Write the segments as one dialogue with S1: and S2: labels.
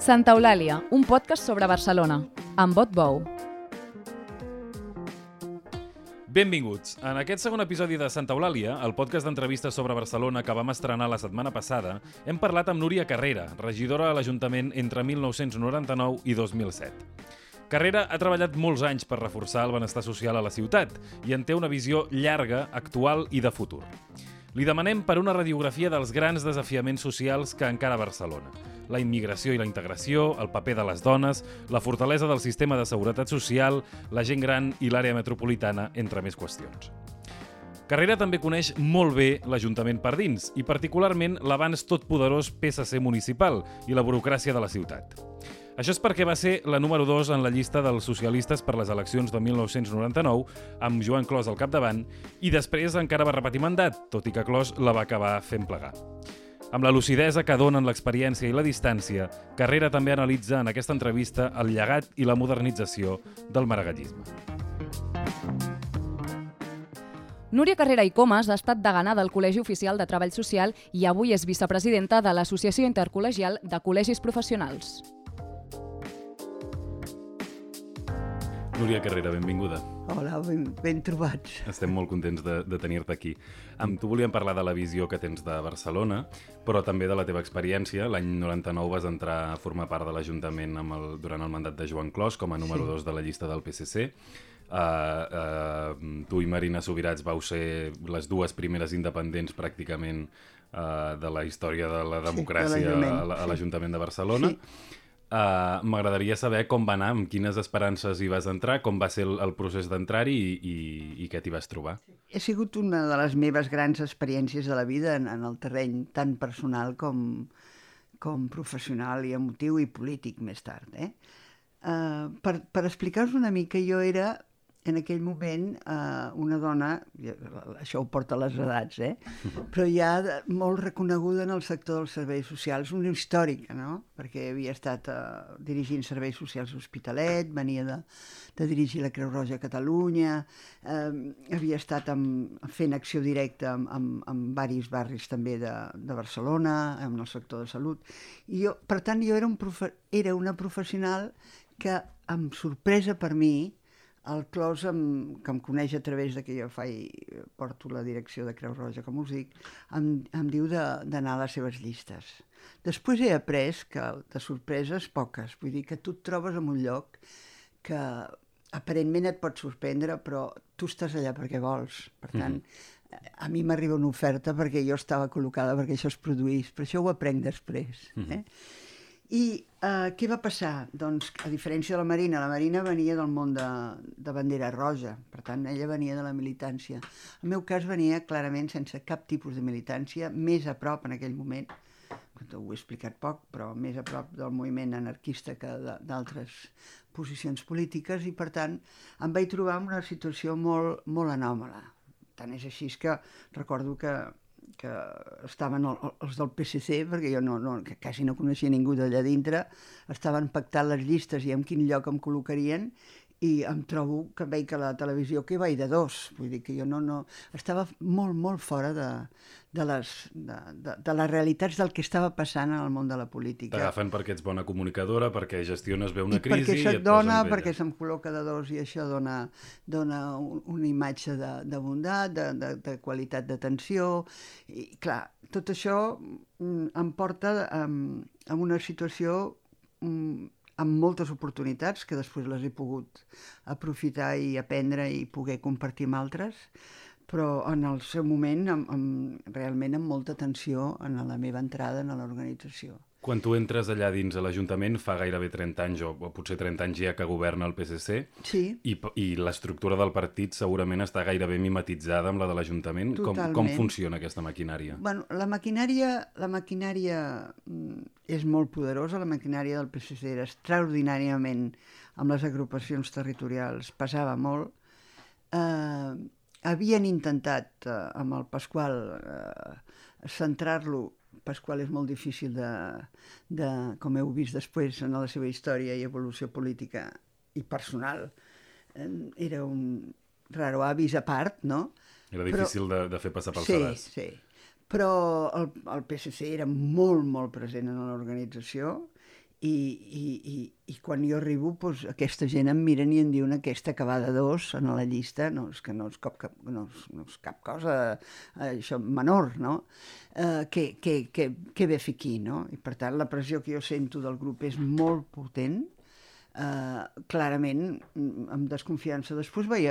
S1: Santa Eulàlia, un podcast sobre Barcelona, amb Bot Bou.
S2: Benvinguts. En aquest segon episodi de Santa Eulàlia, el podcast d'entrevistes sobre Barcelona que vam estrenar la setmana passada, hem parlat amb Núria Carrera, regidora a l'Ajuntament entre 1999 i 2007. Carrera ha treballat molts anys per reforçar el benestar social a la ciutat i en té una visió llarga, actual i de futur. Li demanem per una radiografia dels grans desafiaments socials que encara Barcelona. La immigració i la integració, el paper de les dones, la fortalesa del sistema de seguretat social, la gent gran i l'àrea metropolitana, entre més qüestions. Carrera també coneix molt bé l'Ajuntament per dins i particularment l'abans totpoderós PSC municipal i la burocràcia de la ciutat. Això és perquè va ser la número 2 en la llista dels socialistes per les eleccions de 1999, amb Joan Clos al capdavant, i després encara va repetir mandat, tot i que Clos la va acabar fent plegar. Amb la lucidesa que donen l'experiència i la distància, Carrera també analitza en aquesta entrevista el llegat i la modernització del maragallisme.
S1: Núria Carrera i Comas ha estat degana del Col·legi Oficial de Treball Social i avui és vicepresidenta de l'Associació Intercol·legial de Col·legis Professionals.
S2: Núria Carrera, benvinguda.
S3: Hola, ben trobats.
S2: Estem molt contents de tenir-te aquí. Amb tu volíem parlar de la visió que tens de Barcelona, però també de la teva experiència. L'any 99 vas entrar a formar part de l'Ajuntament durant el mandat de Joan Clos com a número 2 de la llista del PSC. Tu i Marina Subirats vau ser les dues primeres independents pràcticament de la història de la democràcia a l'Ajuntament de Barcelona. Sí. M'agradaria saber com va anar, amb quines esperances hi vas entrar, com va ser el procés d'entrar-hi i què t'hi vas trobar.
S3: Ha sigut una de les meves grans experiències de la vida en el terreny tan personal com professional i emotiu i polític més tard. Per explicar-vos una mica, jo era en aquell moment una dona, això ho porta a les edats, però ja molt reconeguda en el sector dels serveis socials, una històrica, no? Perquè havia estat dirigint serveis socials a Hospitalet, venia de dirigir la Creu Roja a Catalunya, havia estat fent acció directa en diversos barris també de Barcelona, en el sector de salut. I jo, per tant, jo era una professional que, amb sorpresa per mi, el Clos, que em coneix a través de que jo porto la direcció de Creu Roja, com us dic, em diu d'anar a les seves llistes. Després he après que de sorpreses poques, vull dir que tu et trobes en un lloc que aparentment et pot sorprendre, però tu estàs allà perquè vols. Per tant, a mi m'arriba una oferta perquè jo estava col·locada perquè això es produís, però això ho aprenc després. I què va passar? Doncs, a diferència de la Marina venia del món de bandera roja, per tant, ella venia de la militància. El meu cas venia clarament sense cap tipus de militància, més a prop en aquell moment, ho he explicat poc, però més a prop del moviment anarquista que d'altres posicions polítiques, i per tant em vaig trobar en una situació molt, molt anòmala. Tant és així que recordo que estaven els del PSC, perquè jo que quasi no coneixia ningú d'allà dintre, estaven pactant les llistes i en quin lloc em col·locarien, i em trobo que veig que la televisió que vaig de dos, vull dir que jo estava molt, molt fora de les realitats del que estava passant en el món de la política.
S2: T'agafen perquè ets bona comunicadora, perquè gestiones bé una crisi...
S3: I perquè això et dona, perquè se'm col·loca de dos i això dona una imatge de bondat, de qualitat d'atenció, i clar, tot això em porta a una situació amb moltes oportunitats, que després les he pogut aprofitar i aprendre i poder compartir amb altres, però en el seu moment realment amb molta tensió en la meva entrada en l'organització.
S2: Quan tu entres allà dins a l'Ajuntament, fa gairebé 30 anys, o potser 30 anys ja que governa el PSC,
S3: sí.
S2: I l'estructura del partit segurament està gairebé mimetitzada amb la de l'Ajuntament. Com funciona aquesta maquinària?
S3: Bueno, la maquinària és molt poderosa, la maquinària del PSC era extraordinàriament, amb les agrupacions territorials, pesava molt. Havien intentat, amb el Pasqual, centrar-lo. Pasqual és molt difícil com heu vist després en la seva història i evolució política i personal. Era un raro avis a part, no?
S2: Era difícil de fer passar pel sedàs.
S3: Sí, però el PSC era molt, molt present en l'organització I quan jo arribo, doncs, aquesta gent em miren i em diuen aquesta que va de 2 en la llista, no és cap cosa això menor, no? Què ve a fer aquí, no? I per tant la pressió que jo sento del grup és molt potent, clarament amb desconfiança. Després vaig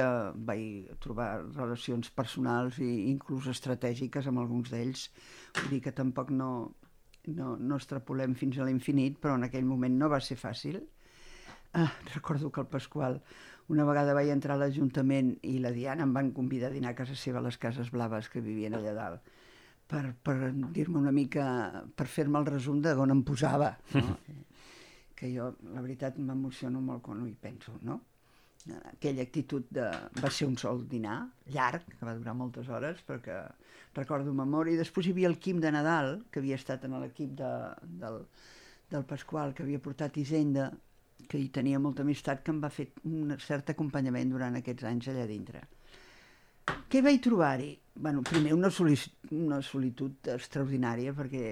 S3: trobar relacions personals i inclús estratègiques amb alguns d'ells, vull dir que tampoc no extrapolem fins a l'infinit, però en aquell moment no va ser fàcil. Recordo que el Pasqual una vegada vaig entrar a l'Ajuntament i la Diana em van convidar a dinar a casa seva a les Cases Blaves que vivien allà dalt per dir-me una mica, per fer-me el resum de on em posava, no? Que jo, la veritat, m'emociono molt quan ho hi penso, no? Aquella actitud va ser un sol dinar, llarg, que va durar moltes hores, perquè recordo memòria. I després hi havia el Quim de Nadal, que havia estat en l'equip del Pasqual, que havia portat Hisenda, que hi tenia molta amistat, que em va fer un cert acompanyament durant aquests anys allà dintre. Què vaig trobar-hi? Bueno, primer una solitud extraordinària, perquè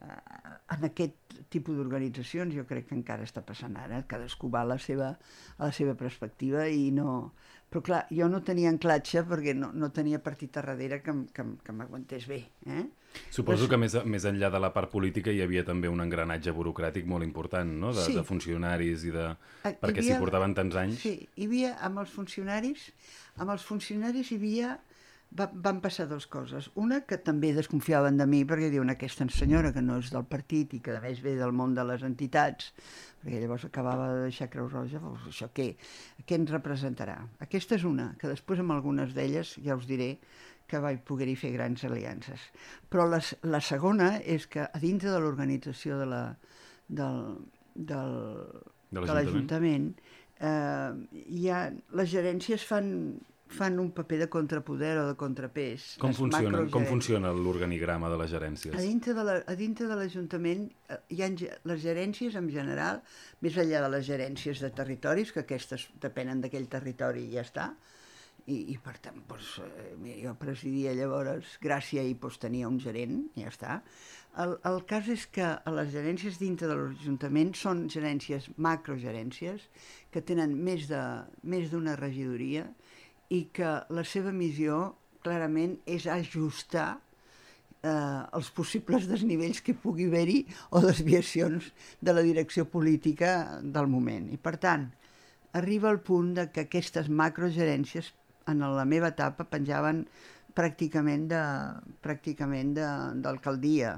S3: en aquest tipus d'organitzacions jo crec que encara està passant ara, cadascú va a la seva perspectiva i no... Però clar, jo no tenia anclatge perquè no tenia partit a darrere que m'aguantés bé.
S2: Suposo que més enllà de la part política hi havia també un engranatge burocràtic molt important, no? De funcionaris i de... Perquè s'hi portaven tants anys...
S3: Sí, hi havia amb els funcionaris hi havia... Van passar dues coses. Una, que també desconfiaven de mi perquè diuen aquesta senyora que no és del partit i que a més ve del món de les entitats, perquè llavors acabava de deixar Creu Roja, doncs això què ens representarà? Aquesta és una, que després amb algunes d'elles ja us diré que vaig poder-hi fer grans aliances. Però la segona és que a dintre de l'organització de l'Ajuntament les gerències fan un paper de contrapoder o de contrapès.
S2: Com funciona l'organigrama de les gerències?
S3: A dintre de l'Ajuntament hi ha les gerències en general, més enllà de les gerències de territoris, que aquestes depenen d'aquell territori i ja està, i per tant, jo presidia llavors Gràcia i tenia un gerent, i ja està. El cas és que les gerències dintre de l'Ajuntament són gerències, macrogerències, que tenen més d'una regidoria, i que la seva missió clarament és ajustar els possibles desnivells que pugui haver-hi o desviacions de la direcció política del moment. I per tant, arriba el punt de que aquestes macrogerències en la meva etapa penjaven pràcticament d'alcaldia.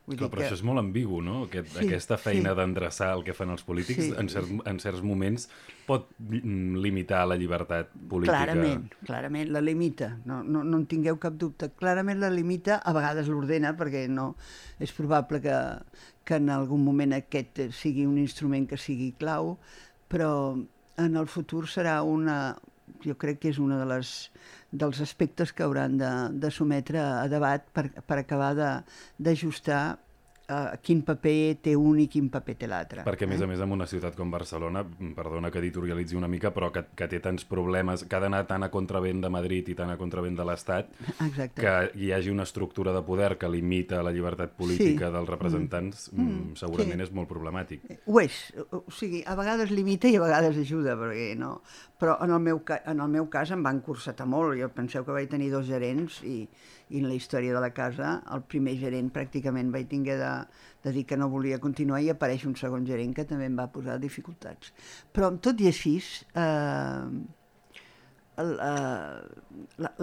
S2: Però això és molt ambigu, no? Aquesta feina d'endreçar el que fan els polítics en certs moments pot limitar la llibertat política.
S3: Clarament la limita, no en tingueu cap dubte. Clarament la limita, a vegades l'ordena, perquè no és probable que en algun moment aquest sigui un instrument que sigui clau, però en el futur serà jo crec que és un dels aspectes que hauran de sometre a debat per acabar d'ajustar quin paper té un i quin paper té l'altre.
S2: Perquè, a més, en una ciutat com Barcelona, perdona que editorialitzi una mica, però que té tants problemes, que ha d'anar tant a contravent de Madrid i tant a contravent de l'Estat, que hi hagi una estructura de poder que limita la llibertat política dels representants, segurament és molt problemàtic.
S3: Ho és. O sigui, a vegades limita i a vegades ajuda, perquè no... Però en el meu cas em van cursetar molt. Jo penseu que vaig tenir 2 gerents i en la història de la casa el primer gerent pràcticament vaig tinguer de dir que no volia continuar i apareix un segon gerent que també em va posar dificultats. Però tot i així,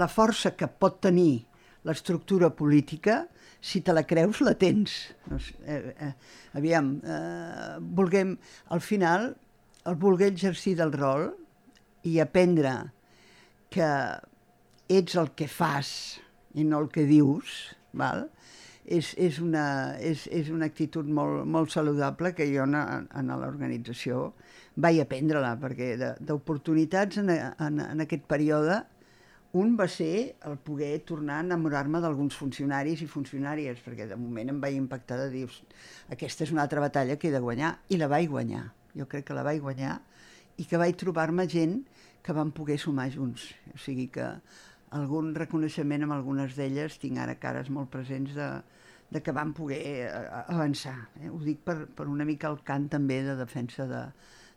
S3: la força que pot tenir l'estructura política, si te la creus, la tens. Aviam, al final, el voler exercir del rol i aprendre que ets el que fas i no el que dius, val? És una actitud molt saludable que jo en l'organització vaig aprendre-la, perquè d'oportunitats en aquest període un va ser el poder tornar a enamorar-me d'alguns funcionaris i funcionàries, perquè de moment em vaig impactar de dir aquesta és una altra batalla que he de guanyar, i la vaig guanyar. Jo crec que la vaig guanyar i que vaig trobar-me gent que van poder sumar junts. O sigui que algun reconeixement amb algunes d'elles, tinc ara cares molt presents que vam poder avançar. Ho dic per una mica el cant també de defensa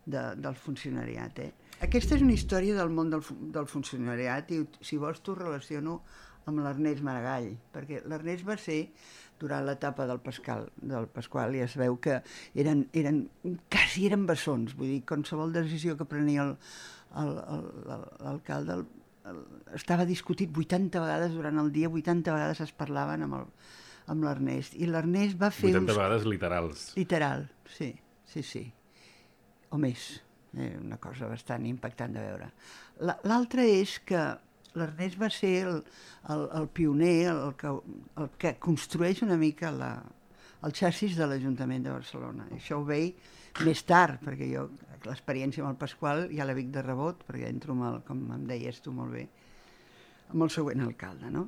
S3: del funcionariat. Aquesta és una història del món del funcionariat i, si vols, t'ho relaciono amb l'Ernest Maragall, perquè l'Ernest va ser, durant l'etapa del Pasqual, ja es veu que quasi eren bessons, vull dir, qualsevol decisió que prenia l'alcalde estava discutit 80 vegades durant el dia, 80 vegades es parlaven amb l'Ernest, i l'Ernest va fer
S2: 80 vegades literals.
S3: Literal, sí. O més, una cosa bastant impactant de veure. L'altre és que l'Ernest va ser el pioner, el que construeix una mica el xassis de l'Ajuntament de Barcelona. Això ho veig més tard, perquè jo l'experiència amb el Pasqual ja la vic de rebot, perquè entro, com em deies tu molt bé, amb el següent alcalde, no?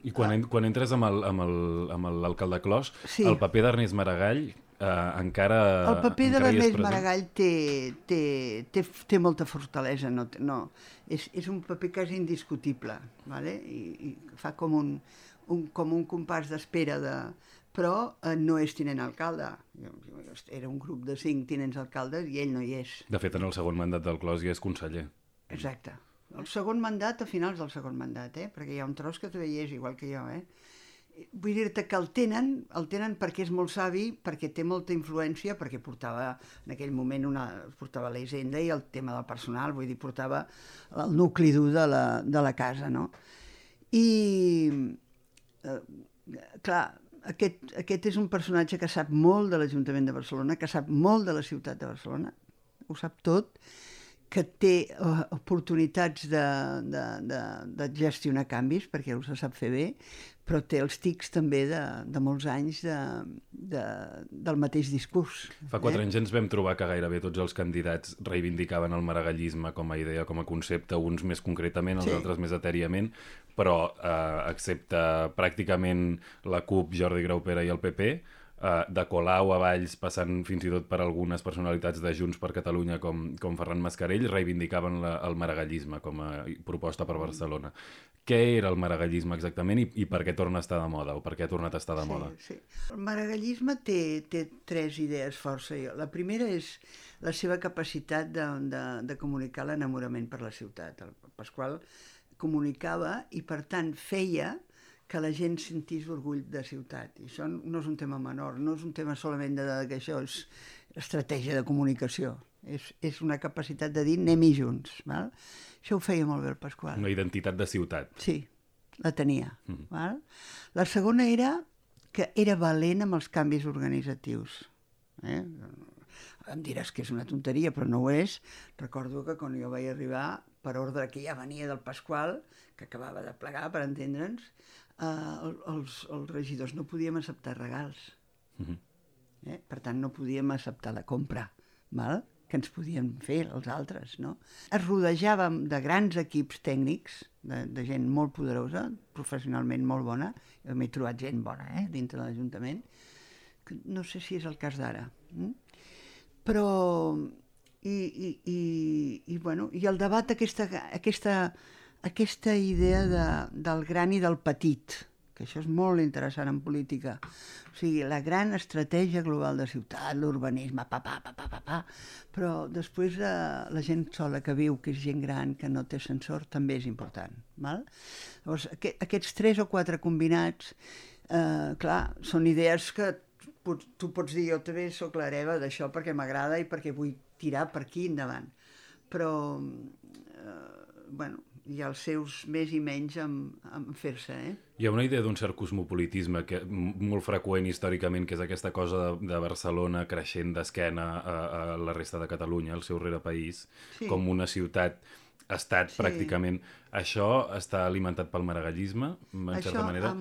S2: I quan entres amb l'alcalde Clos,
S3: sí.
S2: El paper d'Ernest Maragall encara...
S3: El paper de l'Ernest Maragall té molta fortalesa, no, és un paper quasi indiscutible, ¿vale? I fa com un compàs d'espera, però no és tinent alcalde. Era un grup de 5 tinents alcaldes i ell no hi és.
S2: De fet, en el segon mandat del Clos ja és conseller.
S3: Exacte. El segon mandat, a finals del segon mandat, perquè hi ha un tros que també hi és, igual que jo. Vull dir-te que el tenen perquè és molt savi, perquè té molta influència, perquè portava, en aquell moment, portava la hisenda i el tema del personal, vull dir, portava el nucli dur de la casa, no? I, clar, aquest és un personatge que sap molt de l'Ajuntament de Barcelona, que sap molt de la ciutat de Barcelona, ho sap tot, que té oportunitats de gestionar canvis, perquè ho sap fer bé, però té els tics també de molts anys del mateix discurs.
S2: Fa 4 anys ens vam trobar que gairebé tots els candidats reivindicaven el maragallisme com a idea, com a concepte, uns més concretament, els altres més etèriament, però excepte pràcticament la CUP, Jordi Graupera i el PP, de Colau a Valls, passant fins i tot per algunes personalitats de Junts per Catalunya com Ferran Mascarell, reivindicaven el maragallisme com a proposta per Barcelona. Què era el maragallisme exactament i per què torna a estar de moda, o per què ha tornat a estar de moda?
S3: Sí. El maragallisme té 3 idees força. La primera és la seva capacitat de comunicar l'enamorament per la ciutat. El Pasqual comunicava i, per tant, feia que la gent sentís orgull de ciutat. I això no és un tema menor, no és un tema solament que això és estratègia de comunicació. És una capacitat de dir anem-hi junts. Val? Això ho feia molt bé el Pasqual.
S2: Una identitat de ciutat.
S3: Sí, la tenia. Val? La segona era que era valent amb els canvis organitzatius. Em diràs que és una tonteria, però no ho és. Recordo que quan jo vaig arribar, per ordre que ja venia del Pasqual, que acabava de plegar, per entendre'ns, els regidors no podíem acceptar regals. Per tant, no podíem acceptar la compra, val? Que ens podien fer els altres, no? Es rodejàvem de grans equips tècnics, de gent molt poderosa, professionalment molt bona. Jo m'he trobat gent bona, dintre de l'Ajuntament. No sé si és el cas d'ara. Però... I el debat, aquesta idea del gran i del petit, que això és molt interessant en política. O sigui, la gran estratègia global de ciutat, l'urbanisme, però després la gent sola que viu, que és gent gran, que no té ascensor, també és important. Val? Llavors, aquests 3 o 4 combinats, clar, són idees que tu pots dir, jo també soc l'hereva d'això perquè m'agrada i perquè vull tirar per aquí endavant. Però, hi ha els seus més i menys en fer-se,
S2: Hi ha una idea d'un cert cosmopolitisme molt freqüent històricament, que és aquesta cosa de Barcelona creixent d'esquena a la resta de Catalunya, el seu rerepaís, com una ciutat-estat pràcticament. Això està alimentat pel maragallisme, en certa manera?
S3: Això,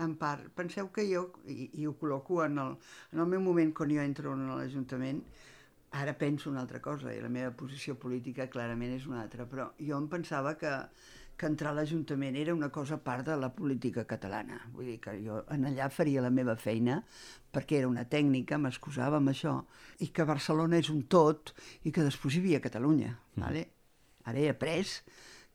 S3: en part. Penseu que jo, i ho col·loco en el meu moment quan jo entro en l'Ajuntament, ara penso una altra cosa, i la meva posició política clarament és una altra, però jo em pensava que entrar a l'Ajuntament era una cosa a part de la política catalana. Vull dir que jo allà faria la meva feina perquè era una tècnica, m'excusava amb això, i que Barcelona és un tot i que després hi havia Catalunya. Vale? Ara he après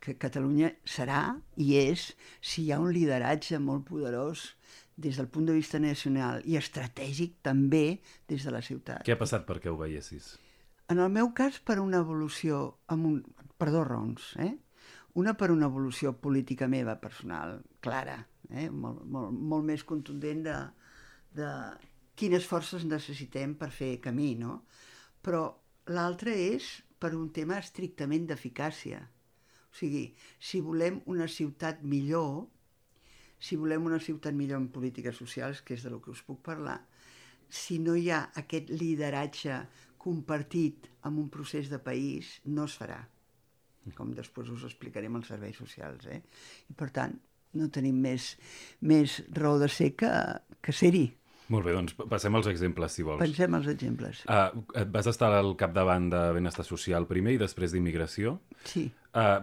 S3: que Catalunya serà i és si hi ha un lideratge molt poderós des del punt de vista nacional i estratègic també des de la ciutat.
S2: Què ha passat perquè ho veiessis?
S3: En el meu cas, per una evolució, per dos raons. Una per una evolució política meva, personal, clara, molt més contundent de quines forces necessitem per fer camí, no? Però l'altra és per un tema estrictament d'eficàcia. O sigui, si volem una ciutat millor en polítiques socials, que és de lo que us puc parlar, si no hi ha aquest lideratge compartit en un procés de país, no es farà. Com després us explicaré amb els serveis socials. I per tant, no tenim més raó de ser que ser-hi.
S2: Molt bé, doncs passem als exemples, si vols.
S3: Pensem als exemples.
S2: Vas estar al capdavant de Benestar Social primer i després d'Immigració.
S3: Sí.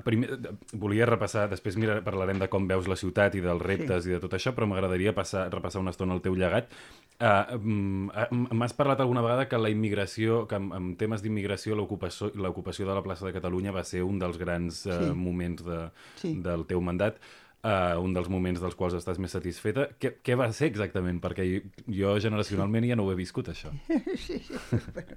S2: Primer, volia repassar, després parlarem de com veus la ciutat i dels reptes i de tot això, però m'agradaria repassar una estona el teu llegat. M'has parlat alguna vegada que la immigració, que en temes d'immigració l'ocupació de la plaça de Catalunya va ser un dels grans moments del teu mandat. Un dels moments dels quals estàs més satisfeta. Què va ser exactament? Perquè jo generacionalment ja no ho he viscut, això.
S3: Sí. Bueno,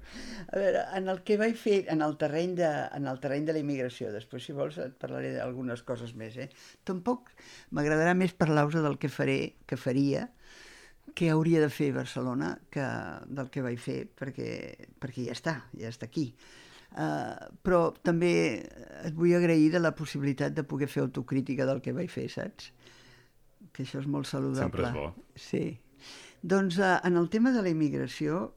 S3: a veure, en el que vaig fer en el terreny de la immigració, després, si vols, et parlaré d'algunes coses més. Tampoc m'agradarà més parlar-vos del que faria, què hauria de fer Barcelona del que vaig fer, perquè ja està aquí. Però també et vull agrair de la possibilitat de poder fer autocrítica del que vaig fer, saps? Que això és molt saludable.
S2: Sempre és bo.
S3: Sí. Doncs en el tema de la immigració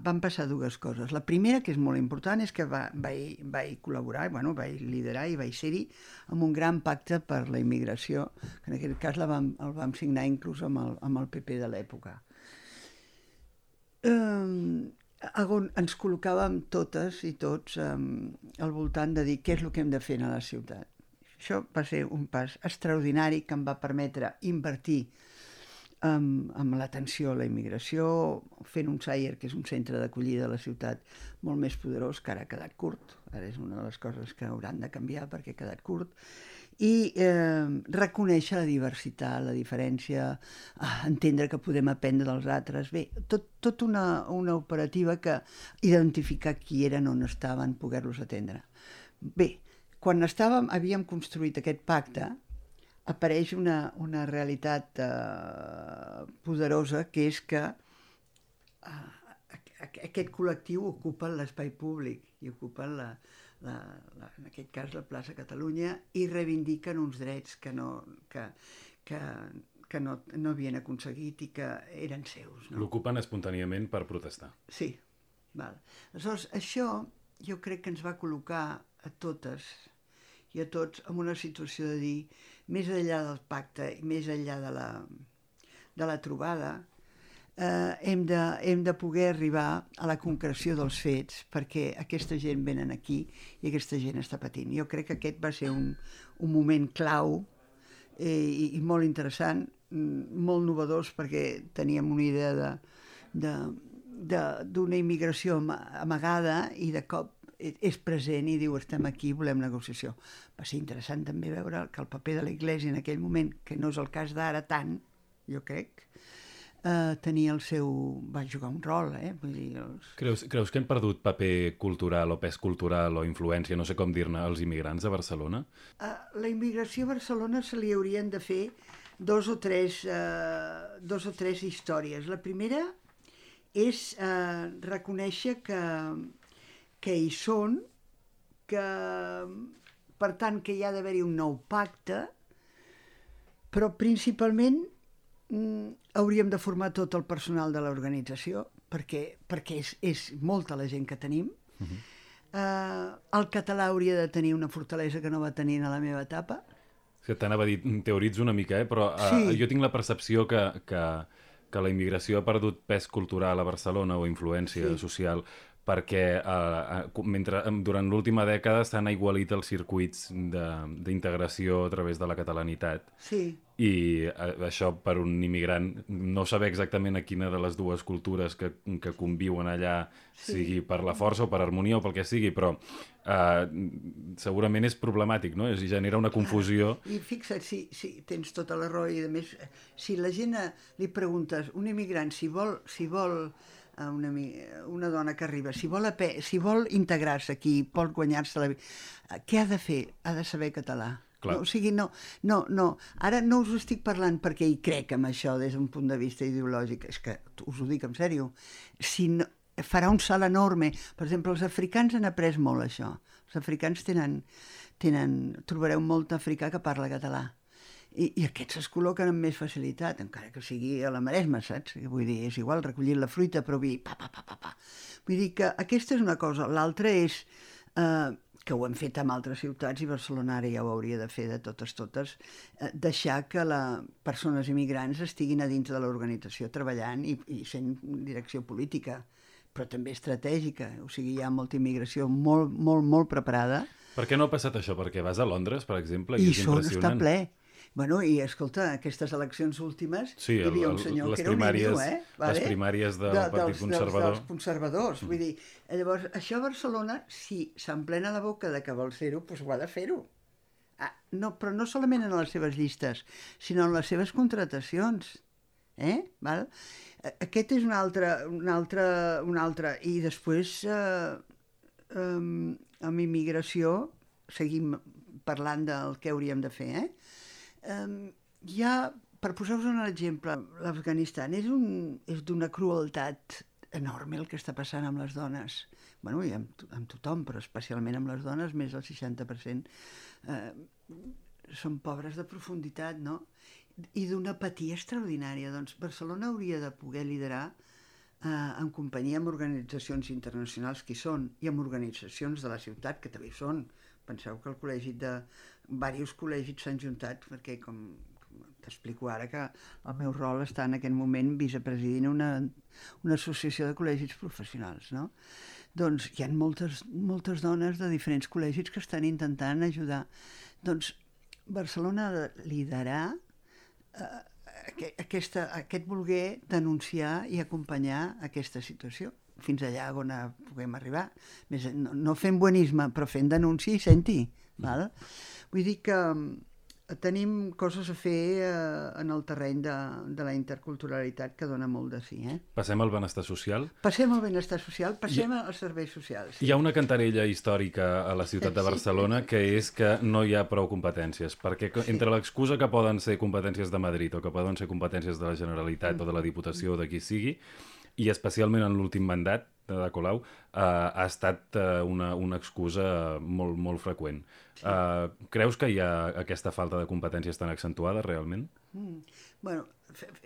S3: van passar dues coses. La primera, que és molt important, és que vaig col·laborar, vaig liderar i vaig ser-hi amb un gran pacte per la immigració, que en aquest cas el vam signar inclús amb el PP de l'època. On ens col·locàvem totes i tots al voltant de dir què és el que hem de fer a la ciutat. Això va ser un pas extraordinari que em va permetre invertir amb l'atenció a la immigració, fent un CAIR, que és un centre d'acollida de la ciutat molt més poderós, que ara ha quedat curt. Ara és una de les coses que hauran de canviar perquè ha quedat curt. I reconèixer la diversitat, la diferència, entendre que podem aprendre dels altres. Bé, tot una operativa que identificar qui eren, on estaven, poder-los atendre. Bé, quan havíem construït aquest pacte, apareix una realitat poderosa, que és que aquest col·lectiu ocupa l'espai públic i ocupa en aquest cas la plaça Catalunya, i reivindiquen uns drets que no havien aconseguit i que eren seus. No?
S2: L'ocupen espontàniament per protestar.
S3: Sí. Val. Aleshores, això jo crec que ens va col·locar a totes i a tots en una situació de dir, més enllà del pacte i més enllà de la trobada, hem de poder arribar a la concreció dels fets, perquè aquesta gent venen aquí i aquesta gent està patint. Jo crec que aquest va ser un moment clau i molt interessant, molt novedós, perquè teníem una idea d'una immigració amagada i de cop és present i diu estem aquí, volem negociació. Va ser interessant també veure que el paper de l'Església en aquell moment, que no és el cas d'ara tant, jo crec, va jugar un rol. Vull dir,
S2: Creus que hem perdut paper cultural o pes cultural o influència, no sé com dir-ne, als immigrants a Barcelona?
S3: La immigració a Barcelona se li haurien de fer dos o tres històries. La primera és reconèixer que hi són, que per tant que hi ha d'haver-hi un nou pacte, però principalment hauríem de formar tot el personal de l'organització, perquè és molta la gent que tenim. El català hauria de tenir una fortalesa que no va tenir a la meva etapa.
S2: T'anava a dir, teoritzo una mica, però jo tinc la percepció que la immigració ha perdut pes cultural a Barcelona o influència social perquè durant l'última dècada s'han aigualit els circuits d'integració a través de la catalanitat.
S3: Sí.
S2: I això per un immigrant, no saber exactament a quina de les dues cultures que conviuen allà, sigui per la força o per harmonia o pel que sigui, però segurament és problemàtic, no? I genera una confusió.
S3: I fixa't, si tens tota la raó, i a més, si la gent li preguntes, un immigrant, si vol una dona que arriba, si vol integrar-se aquí, vol guanyar-se la vida, què ha de fer? Ha de saber català. No, o sigui, no. Ara no us estic parlant perquè hi crec en això des d'un punt de vista ideològic, és que us ho dic en sèrio. Si no, farà un salt enorme. Per exemple, els africans han après molt això. Els africans trobareu molt africà que parla català. I aquests es col·loquen amb més facilitat, encara que sigui a la Maresma, saps? Vull dir, és igual, recollir la fruita, però vull dir, Vull dir que aquesta és una cosa. L'altra és, que ho hem fet en altres ciutats, i Barcelona ara ja ho hauria de fer de totes, deixar que persones immigrants estiguin a dins de l'organització treballant i sent direcció política, però també estratègica. O sigui, hi ha molta immigració molt, molt, molt preparada.
S2: Per què no ha passat això? Perquè vas a Londres, per exemple, i és impressionant.
S3: Està ple. Bueno, i escolta, aquestes eleccions últimes, hi havia un senyor que era un indio,
S2: les primàries del Partit Conservador.
S3: Dels conservadors. Vull dir, llavors, això a Barcelona, si s'emplena la boca de que vol fer-ho, doncs ho ha de fer-ho. Però no solament en les seves llistes, sinó en les seves contratacions. Val? Aquest és un altre. I després, amb immigració, seguim parlant del que hauríem de fer, per posar-vos un exemple, l'Afganistan és d'una crueltat enorme el que està passant amb les dones. Bueno, i amb tothom, però especialment amb les dones, més del 60% són pobres de profunditat, no? I d'una apatia extraordinària. Doncs Barcelona hauria de poder liderar en companyia amb organitzacions internacionals que hi són, i amb organitzacions de la ciutat que també hi són. Penseu que diversos col·legis s'han juntat, perquè com t'explico ara que el meu rol està en aquest moment vicepresidint una associació de col·legis professionals, no? Doncs hi ha moltes dones de diferents col·legis que estan intentant ajudar. Doncs Barcelona ha de liderar aquest voler denunciar i acompanyar aquesta situació fins allà on puguem arribar. No fent buenisme, però fent denúncia i senti. Val? Vull dir que tenim coses a fer en el terreny de la interculturalitat que dona molt de sí.
S2: Passem al benestar social?
S3: Passem al benestar social, passem als serveis socials.
S2: Hi ha una cantarella històrica a la ciutat de Barcelona que és que no hi ha prou competències, perquè entre l'excusa que poden ser competències de Madrid o que poden ser competències de la Generalitat o de la Diputació o de qui sigui, i especialment en l'últim mandat de Colau, ha estat una excusa molt, molt freqüent. Creus que hi ha aquesta falta de competències tan accentuada, realment?
S3: Bueno,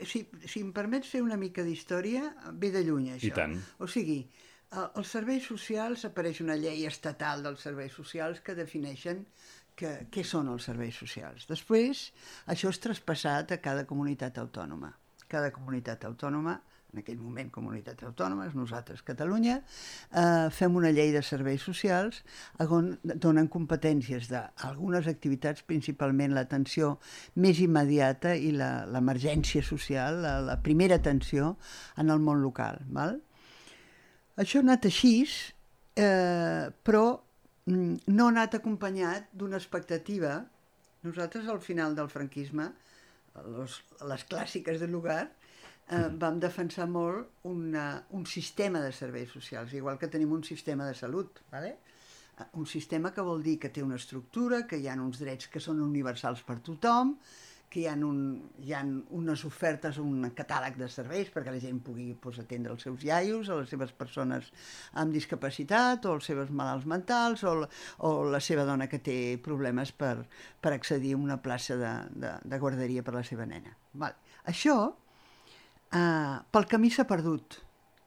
S3: si em permets fer una mica d'història, ve de lluny, això.
S2: I tant.
S3: O sigui, als serveis socials apareix una llei estatal dels serveis socials que defineixen què són els serveis socials. Després, això és traspassat a cada comunitat autònoma. Cada comunitat autònoma, en aquell moment comunitat autònoma, nosaltres Catalunya, fem una llei de serveis socials on donen competències d'algunes activitats, principalment l'atenció més immediata i l'emergència social, la primera atenció en el món local. Val? Això ha anat així, però no ha anat acompanyat d'una expectativa. Nosaltres, al final del franquisme, les clàssiques del lugar, vam defensar molt un sistema de serveis socials, igual que tenim un sistema de salut. Un sistema que vol dir que té una estructura, que hi ha uns drets que són universals per tothom, que hi ha unes ofertes, un catàleg de serveis perquè la gent pugui atendre els seus iaios, a les seves persones amb discapacitat, o els seus malalts mentals, o la seva dona que té problemes per accedir a una plaça de guarderia per la seva nena. Això pel camí s'ha perdut,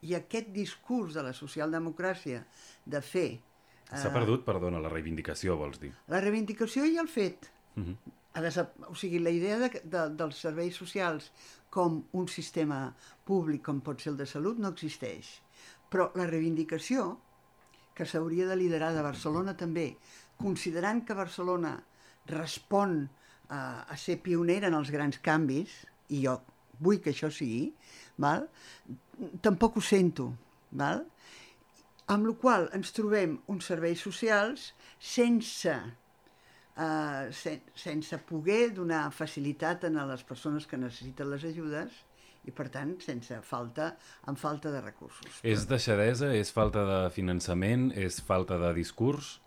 S3: i aquest discurs de la socialdemocràcia de fer...
S2: S'ha perdut, perdona, la reivindicació, vols dir?
S3: La reivindicació i el fet. O sigui, la idea dels serveis socials com un sistema públic com pot ser el de salut no existeix, Però la reivindicació, que s'hauria de liderar de Barcelona també, considerant que Barcelona respon a ser pionera en els grans canvis, i jo vull que això sigui, val? Tampoc ho sento. Val? Amb la qual cosa ens trobem uns serveis socials sense poder donar facilitat a les persones que necessiten les ajudes i, per tant, amb falta de recursos.
S2: És deixadesa? És falta de finançament? És falta de discurs?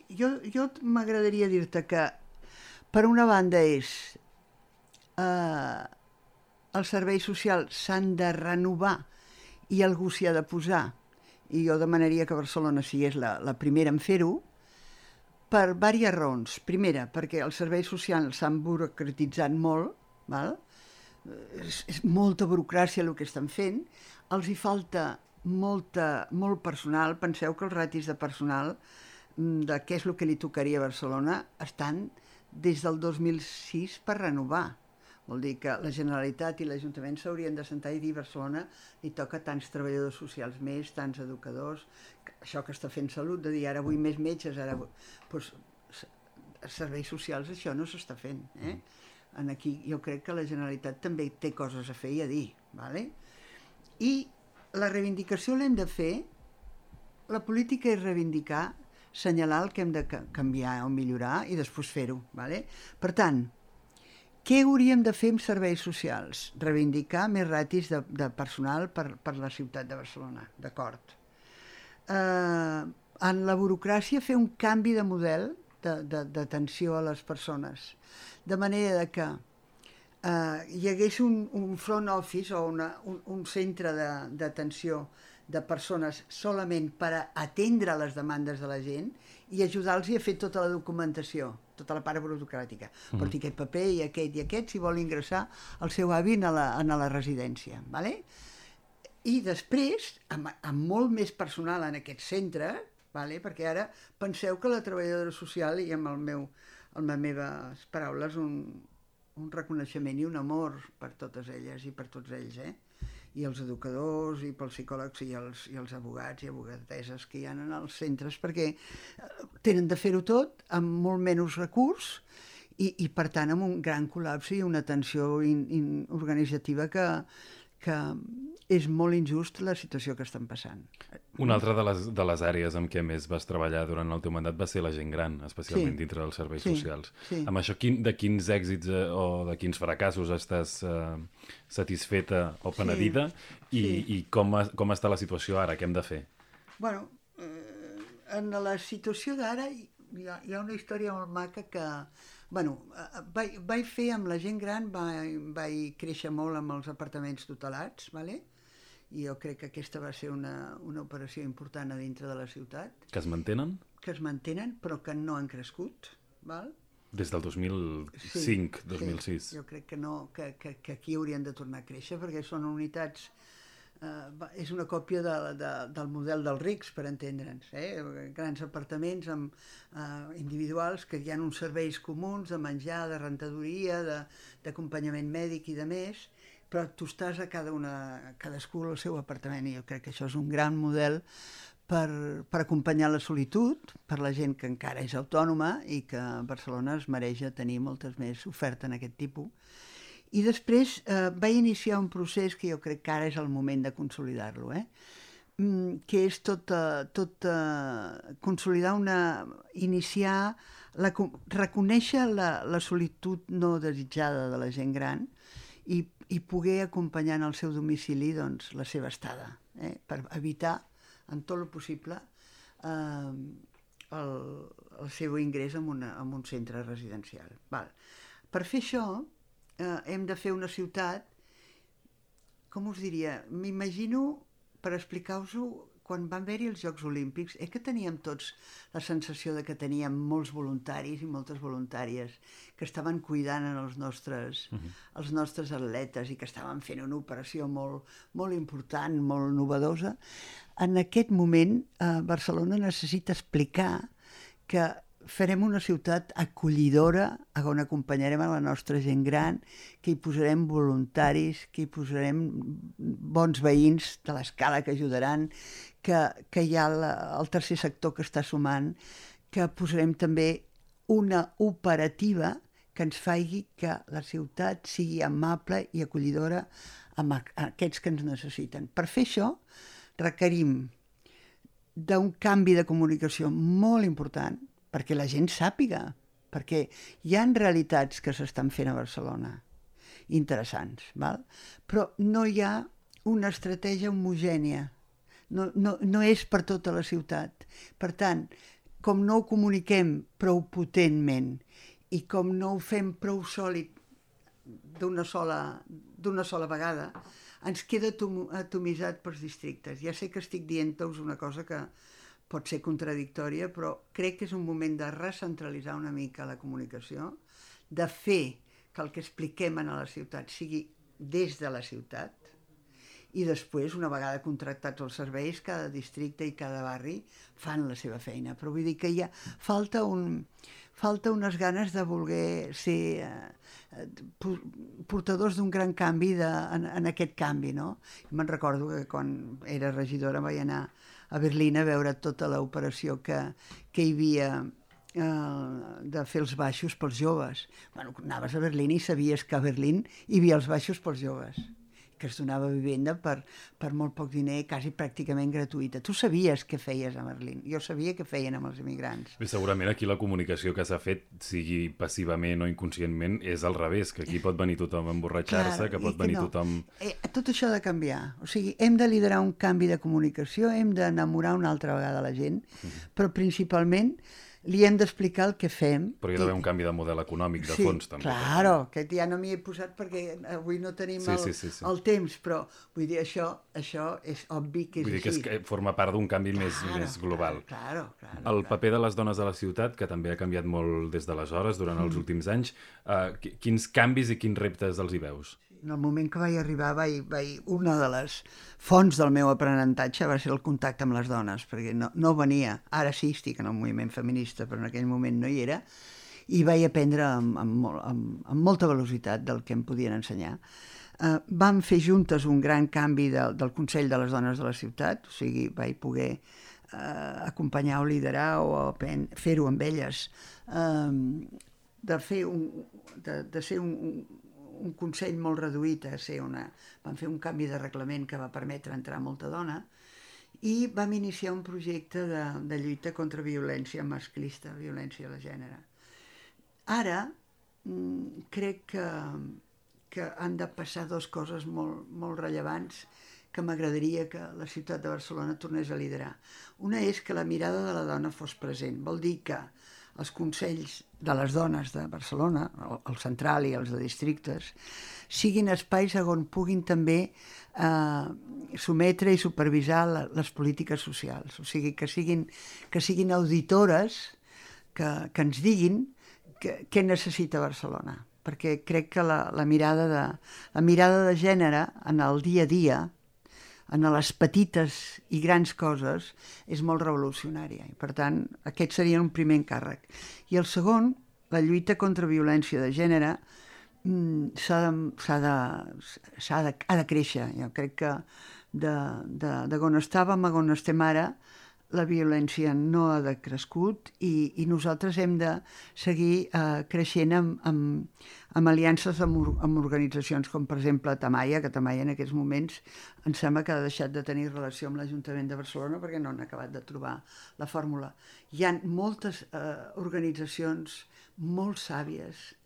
S3: Jo m'agradaria dir-te que, per una banda, els serveis socials s'han de renovar i algú s'hi ha de posar, i jo demanaria que Barcelona sigués la primera en fer-ho, per diverses raons. Primera, perquè els serveis socials s'han burocratitzat molt, val? És molta burocràcia el que estan fent, els hi falta molt personal. Penseu que els ratis de personal de què és el que li tocaria a Barcelona estan des del 2006 per renovar. Vol dir que la Generalitat i l'Ajuntament s'haurien de sentar i dir a Barcelona li toca tants treballadors socials més, tants educadors, això que està fent Salut, de dir ara vull més metges, ara vull... Doncs, serveis socials això no s'està fent. Aquí jo crec que la Generalitat també té coses a fer i a dir. Vale? I la reivindicació l'hem de fer, la política és reivindicar, assenyalar el que hem de canviar o millorar i després fer-ho. Vale? Per tant, què hauríem de fer amb serveis socials? Reivindicar més ratis de personal per la ciutat de Barcelona, d'acord. En la burocràcia fer un canvi de model d'atenció a les persones, de manera que hi hagués un front office o un centre d'atenció de persones solament per atendre les demandes de la gent i ajudar-los a fer tota la documentació, tota la part burocràtica. Porti aquest paper i aquest si vol ingressar el seu avi a la residència. Vale? I després, amb molt més personal en aquest centre, vale? Perquè ara penseu que la treballadora social, i amb les meves paraules, un reconeixement i un amor per totes elles i per tots ells, i els educadors i pels psicòlegs i els advocats i advocateses que hi ha en els centres, perquè tenen de fer-ho tot amb molt menys recurs i per tant amb un gran col·lapse i una tensió organitzativa que és molt injust la situació que estan passant.
S2: Una altra de les àrees amb què més vas treballar durant el teu mandat va ser la gent gran, especialment dintre dels serveis socials.
S3: Sí.
S2: Amb això, de quins èxits o de quins fracassos estàs satisfeta o penedida i com està la situació ara? Què hem de fer?
S3: Bueno, en la situació d'ara hi ha una història molt maca que... Bueno, vaig fer amb la gent gran, vaig créixer molt amb els apartaments tutelats, vale? I jo crec que aquesta va ser una operació important a dintre de la ciutat.
S2: Que es mantenen?
S3: Que es mantenen, però que no han crescut, val?
S2: Des del 2005, 2006.
S3: Jo crec que no, que aquí haurien de tornar a créixer, perquè són unitats... és una còpia del model dels rics, per entendre'ns, grans apartaments individuals que hi ha uns serveis comuns de menjar, de rentadoria, d'acompanyament mèdic i de més, però tu estàs a cadascú al seu apartament, i jo crec que això és un gran model per acompanyar la solitud, per la gent que encara és autònoma i que Barcelona es mereix tenir moltes més oferta en aquest tipus. I després vaig iniciar un procés que jo crec que ara és el moment de consolidar-lo, que és consolidar reconèixer la solitud no desitjada de la gent gran i poder acompanyar en el seu domicili doncs, la seva estada, per evitar en tot el possible el seu ingrés en un centre residencial. Val. Per fer això hem de fer una ciutat, com us diria, m'imagino, per explicar-vos-ho, quan van haver-hi els Jocs Olímpics, que teníem tots la sensació de que teníem molts voluntaris i moltes voluntàries que estaven cuidant els nostres atletes i que estaven fent una operació molt, molt important, molt novedosa. En aquest moment, Barcelona necessita explicar que farem una ciutat acollidora on acompanyarem a la nostra gent gran, que hi posarem voluntaris, que hi posarem bons veïns de l'escala que ajudaran, que hi ha el tercer sector que està sumant, que posarem també una operativa que ens faci que la ciutat sigui amable i acollidora amb aquests que ens necessiten. Per fer això requerim d'un canvi de comunicació molt important, perquè la gent sàpiga, perquè hi ha realitats que s'estan fent a Barcelona, interessants, val? Però no hi ha una estratègia homogènia, no és per tota la ciutat. Per tant, com no ho comuniquem prou potentment i com no ho fem prou sòlid d'una sola vegada, ens queda atomitzat pels districtes. Ja sé que estic dient-vos una cosa que pot ser contradictòria, però crec que és un moment de recentralitzar una mica la comunicació, de fer que el que expliquem a la ciutat sigui des de la ciutat, i després, una vegada contractats els serveis, cada districte i cada barri fan la seva feina. Però vull dir que hi ha falta unes ganes de voler ser portadors d'un gran canvi en aquest canvi, no? Me'n recordo que quan era regidora vaig anar a Berlín a veure tota l'operació que hi havia de fer els baixos pels joves. Bueno, anaves a Berlín i sabies que a Berlín hi havia els baixos pels joves, que es donava vivenda per molt poc diner, quasi pràcticament gratuïta. Tu sabies què feies a Berlín. Jo sabia què feien amb els immigrants.
S2: Bé, segurament aquí la comunicació que s'ha fet, sigui passivament o inconscientment, és al revés, que aquí pot venir tothom a emborratxar-se, que pot venir tothom...
S3: Tot això ha de canviar. O sigui, hem de liderar un canvi de comunicació, hem d'enamorar una altra vegada la gent, però principalment li hem d'explicar el que fem.
S2: Però hi ha d'haver un canvi de model econòmic, de fons, també.
S3: Claro, que ja no m'hi he posat perquè avui no tenim el temps, però vull dir, això és obvi que és així.
S2: Vull dir que forma part d'un canvi més global.
S3: Claro.
S2: El paper de les dones a la ciutat, que també ha canviat molt des d'aleshores, durant els últims anys, quins canvis i quins reptes els hi veus?
S3: En el moment que vaig arribar, una de les fonts del meu aprenentatge va ser el contacte amb les dones, perquè no venia. Ara sí estic en el moviment feminista, però en aquell moment no hi era, i vaig aprendre amb molta velocitat del que em podien ensenyar. Vam fer juntes un gran canvi del Consell de les Dones de la Ciutat, o sigui, vaig poder acompanyar o liderar o fer-ho amb elles, de ser un consell molt reduït a ser vam fer un canvi de reglament que va permetre entrar molta dona i vam iniciar un projecte de lluita contra violència masclista, violència de gènere. Ara crec que han de passar dues coses molt rellevants que m'agradaria que la ciutat de Barcelona tornés a liderar. Una és que la mirada de la dona fos present. Vol dir que els consells de les dones de Barcelona, el central i els de districtes, siguin espais on puguin també sometre i supervisar les polítiques socials. O sigui, que siguin auditores que ens diguin què necessita Barcelona. Perquè crec que la mirada de gènere en el dia a dia, en les petites i grans coses, és molt revolucionària. I, per tant, aquest seria un primer encàrrec. I el segon, la lluita contra violència de gènere, ha de créixer. Jo crec que de on estàvem a on estem ara, la violència no ha decrescut i nosaltres hem de seguir creixent amb aliances amb organitzacions com, per exemple, Tamaia, que Tamaia en aquests moments em sembla que ha deixat de tenir relació amb l'Ajuntament de Barcelona perquè no han acabat de trobar la fórmula. Hi ha moltes organitzacions molt sàvies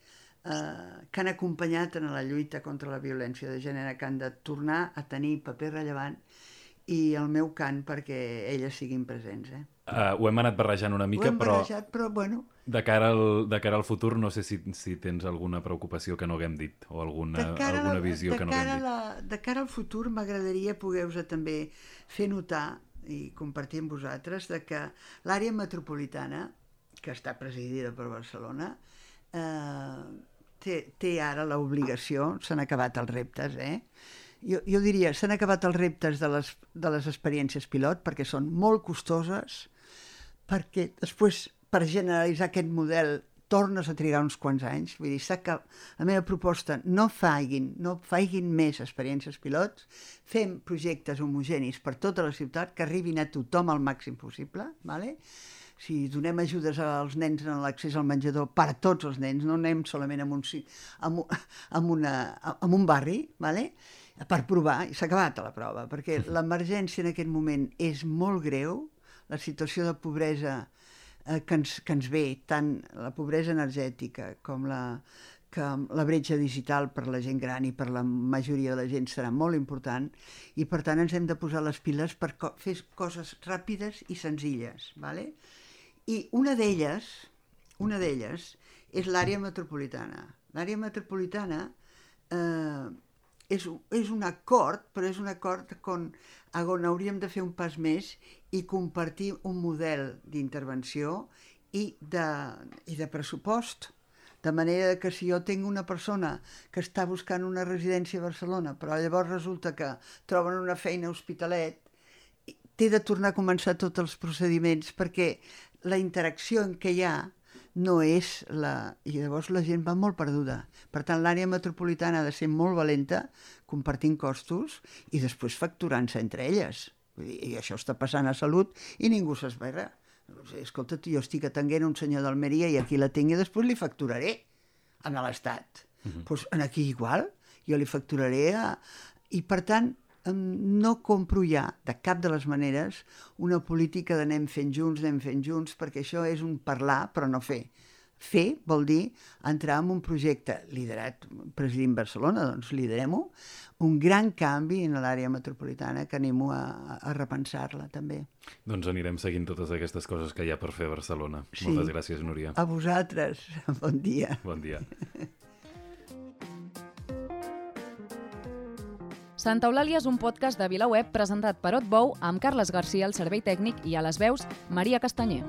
S3: que han acompanyat en la lluita contra la violència de gènere, que han de tornar a tenir paper rellevant i el meu cant perquè elles siguin presents.
S2: Ho hem anat barrejant una mica, però
S3: bueno.
S2: De cara al futur no sé si tens alguna preocupació que no haguem dit o alguna visió que no haguem dit.
S3: De cara al futur m'agradaria poder-vos també fer notar i compartir amb vosaltres que l'àrea metropolitana, que està presidida per Barcelona, té ara l'obligació, s'han acabat els reptes, jo diria, s'han acabat els reptes de les experiències pilot perquè són molt costoses, perquè després per generalitzar aquest model tornes a trigar uns quants anys. Vull dir, la meva proposta, no faiguin més experiències pilots, fem projectes homogenis per tota la ciutat que arribin a tothom al màxim possible, ¿vale? Si donem ajudes als nens en l'accés al menjador per a tots els nens, no anem solament en un barri, ¿vale? Per provar, i s'ha acabat la prova, perquè l'emergència en aquest moment és molt greu, la situació de pobresa que ens ve, tant la pobresa energètica com la bretxa digital per la gent gran i per la majoria de la gent serà molt important, i per tant ens hem de posar les piles per fer coses ràpides i senzilles, ¿vale? I una d'elles és l'àrea metropolitana. L'àrea metropolitana és un acord, però és un acord on hauríem de fer un pas més i compartir un model d'intervenció i de pressupost. De manera que si jo tinc una persona que està buscant una residència a Barcelona, però llavors resulta que troben una feina a Hospitalet, té de tornar a començar tots els procediments perquè la interacció en què hi ha no és i llavors la gent va molt perduda. Per tant, l'àrea metropolitana ha de ser molt valenta, compartint costos i després facturant-se entre elles. I això està passant a Salut i ningú s'esberra. Escolta, jo estic atenguent un senyor d'Almeria i aquí la tinc i després li facturaré a l'Estat. Doncs aquí igual, jo li facturaré I per tant, no compro ja, de cap de les maneres, una política d'anem fent junts, perquè això és un parlar però no fer. Fer vol dir entrar en un projecte liderat, presidint Barcelona, doncs liderem-ho, un gran canvi en l'àrea metropolitana que animo a repensar-la també.
S2: Doncs anirem seguint totes aquestes coses que hi ha per fer a Barcelona.
S3: Sí.
S2: Moltes gràcies, Núria.
S3: A vosaltres. Bon dia.
S2: Bon dia.
S1: Santa Eulàlia és un podcast de VilaWeb presentat per Otbou amb Carles Garcia al servei tècnic i a les veus Maria Castanyer.